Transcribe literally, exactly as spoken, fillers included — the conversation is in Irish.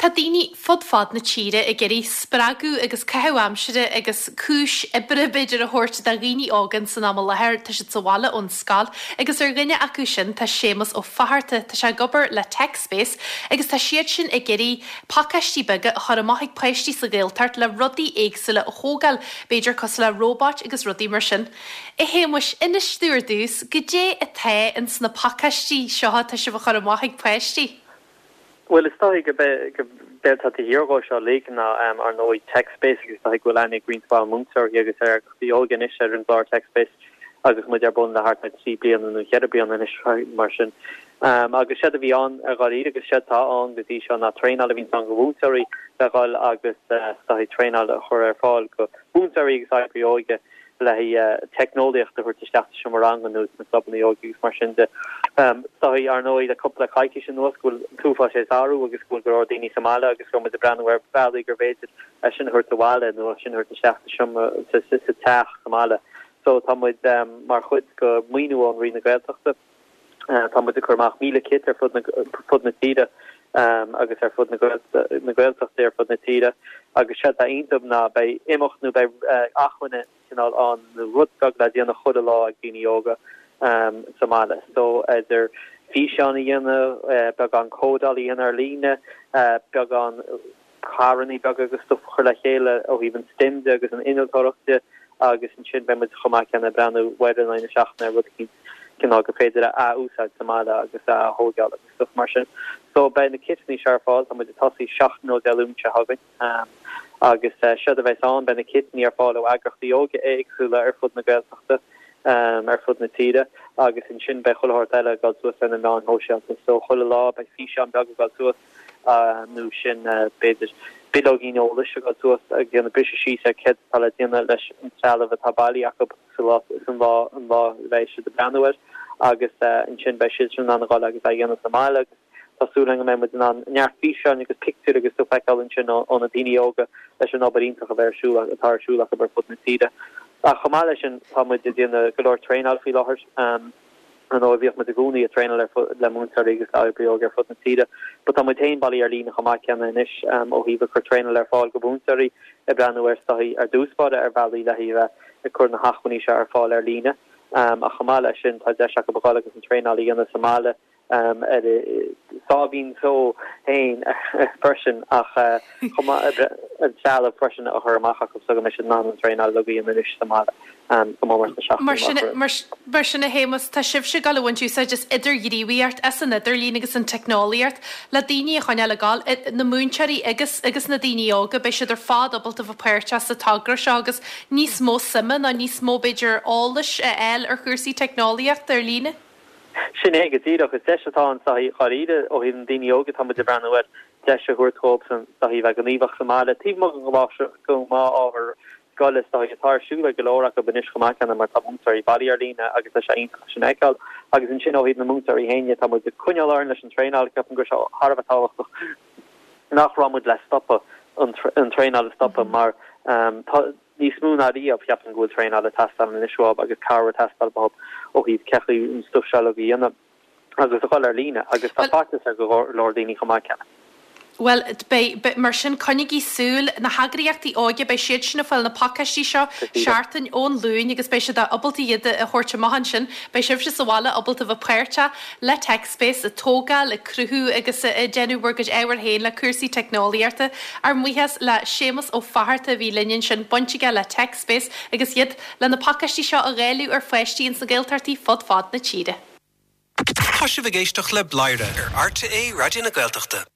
Tá daoine fud fad na tíre ag iarraidh spreagadh agus caitheamh aimsire agus cúis oibre b'fhéidir a thabhairt do dhaoine óga san am i láthair tá siad sa bhaile ón scoil agus ar dhuine acu sin tá Séamus Ó Fatharta tá sé ag obair le TechSpace agus tá siad sin ag iarraidh pacáistí beaga a chur amach ag páistí sa Ghaeltacht le rudaí éagsúla a thógáil b'fhéidir cosúil le róbait agus rudaí mar sin. A Shéamuis inis dúinn ar dtús goidé atá ins na pacáistí seo atá sibh a chur amach ag páistí. Well is dóigh go b'fhéidir tá thiargó seo le ná um, ar ndóigh TechSpace agus tá go leanaí green múinteoirí agus ar óige anois ar an gclár TechSpace agus muid ar bun le thart trí bliana nó ceithre bliana anois mar sin. Um, agus sé a bhí ann ar dtús agus sé atá ann go dtí seo ná traenáil a bhí an go mhúinteoirí le gáil agus uh, traenáil a chur ar fáil go múinteoirí agus oibrithe óige le uh, teicneolaíocht a thabhairt isteach sa seomra ranga nó na clubanna óige agus mar sin de. Um, Tá ar ndóigh le cúpla coicís anuas go bhfuil sé athrú agus go bhfuil go daoine sa mbaile agus go muid breathnú ar bhealaí gur féidir sin thabhairt abhaile nó sin thabhairt isteach sa teach sa mbaile. So tá muid um, mar chuid go maoiniú ón Roinn na Gaeltachta. Uh, tá muid ag cur amach míle kit ar fud na, fud na tíre um, agus ar fud na Gaeltachta ar fud na tíre agus sé atá iontu ná beidh imeacht nó beidh uh, acmhainn cineál an rud beag le déanamh chuile lá ag daoine óga um, sa mbaile. So idir físeán a dhéanamh uh, beagán códáil a dhéanamh ar líne uh, beagán carranna beaga agus stuff chur le chéile ó thaobh an STEM de agus an innealtóireachta agus ansin beidh muid chomh maith céanna breathnú uair na seachtaine rud cineál go féidir a úsáid sa mbaile agus a thógáil agus stuff mar sin. So beidh na kiteanna seo ar fáil tá muid ag tosú seachtain ó Dé Luain seo chugainn um, agus uh, seo a bheidh ann beidh na kiteanna ar fáil ó eagraíochtaí óige éagsúla ar fud na Gaeltachta um, ar fud na tíre agus ansin beidh chuile shórt eile ag dul suas ar na meáin shóisialta so chuile lá beidh físeán beag ag dul suas uh, nó sin uh, b'fhéidir bileogín eolais ag dul suas ag déanamh briseadh síos ar céard atá le déanamh leis an trealamh atá bailithe acu san lá an lá bheidh siad ag breathnú air agus uh, ansin beidh siad sin an gáil agus a dhéanamh sa mbaile agus Tású go mbeidh an neart físeán agus pictiúr agus tú feiceáil ansin ó na daoine óga leis an obair iontach a bheith ar siúl atá ar siúl ar fud na tíre. Ach chomh maith leis sin tá muid ag déanamh go leor traenáil faoi láthair um, an ó bhíodh muid i gcónaí ag traenáil le múinteoirí agus oibrithe óige ar fud na tíre. Ba tá muid féin bailithe ar líne chomh maith céanna anois um, ó thaobh cur traenáil ar fáil go múinteoirí ag breathnú ar staí ar dúspáide ar bhealaí le bheith ag cur na hacmhainní seo ar fáil ar líne. Um, ach chomh maith leis sin tá deis acu a agus an traenáil a dhéanamh sa mbaile um, ar sábhín só féin freisin ach uh, an trealamh freisin a chur amach acu so go mbeidh siad in ann an traenáil a dhéanamh anois sa mbaile um, go Mar sin mar sin a Shéamuis tá sibhse ag gabháil a bhaint úsáid as idirghníomhaíocht as an idirlíon agus an teicneolaíocht le daoine a choinneáil ag gabháil na múinteoirí agus agus na daoine óga beidh siad ar fad ábalta bheith páirteach sa togra seo agus níos mó suime ná níos mó b'fhéidir eolais a fháil ar chúrsaí teicneolaíochta ar líne. Sin é go díreach is deis atá ann dáiríre ó thaobh na daoine óga tá muid ag breathnú air deis a thabhairt dóibhsan bheith gníomhach sa mbaile. Taobh amuigh den ábhar scoile atá ar siúl go leor acu anois chomh maith céanna mar tá múinteoirí bailithe ar líne agus tá sé iontach sin a fheiceáil agus ansin ó thaobh na múinteoirí féin tá muid ag coinneáil orainn leis an traenáil ceapaim go bhfuil sé thar a bheith tábhachtach nach raibh muid le stopadh an traenáil a stopadh mar um, níos mó ná riamh ceapaim go bhfuil traenáil ag teastáil anois uathu agus cabhair ag teastáil uathu ó thaobh cén chaoi an stuff seo a dhéanamh agus a chur ar líne agus tá faitíos ar go leor daoine chomh maith céanna. Well be, mar sin coinnigí súil na heagraíochtaí óige beidh siad sin ag fáil na pacáistí seo seachtain ón Luan agus beidh siad ábalta iad a thabhairt amach ansin, beidh sibhse sa bhaile ábalta bheith páirteach le TechSpace ag tógáil ag cruthú agus ag déanamh bhur gcuid ábhar féin le cúrsaí teicneolaíochta. Ár mbuíochas le Séamus Ó Fatharta a bhí linn ansin baint aige le TechSpace agus iad le na pacáistí seo a dháileadh ar pháistí ins na Gaeltachtaí fud fad na tíre. Tá sibh ag éisteacht le Bladhaire ar RTÉ Raidió na Gaeltachta.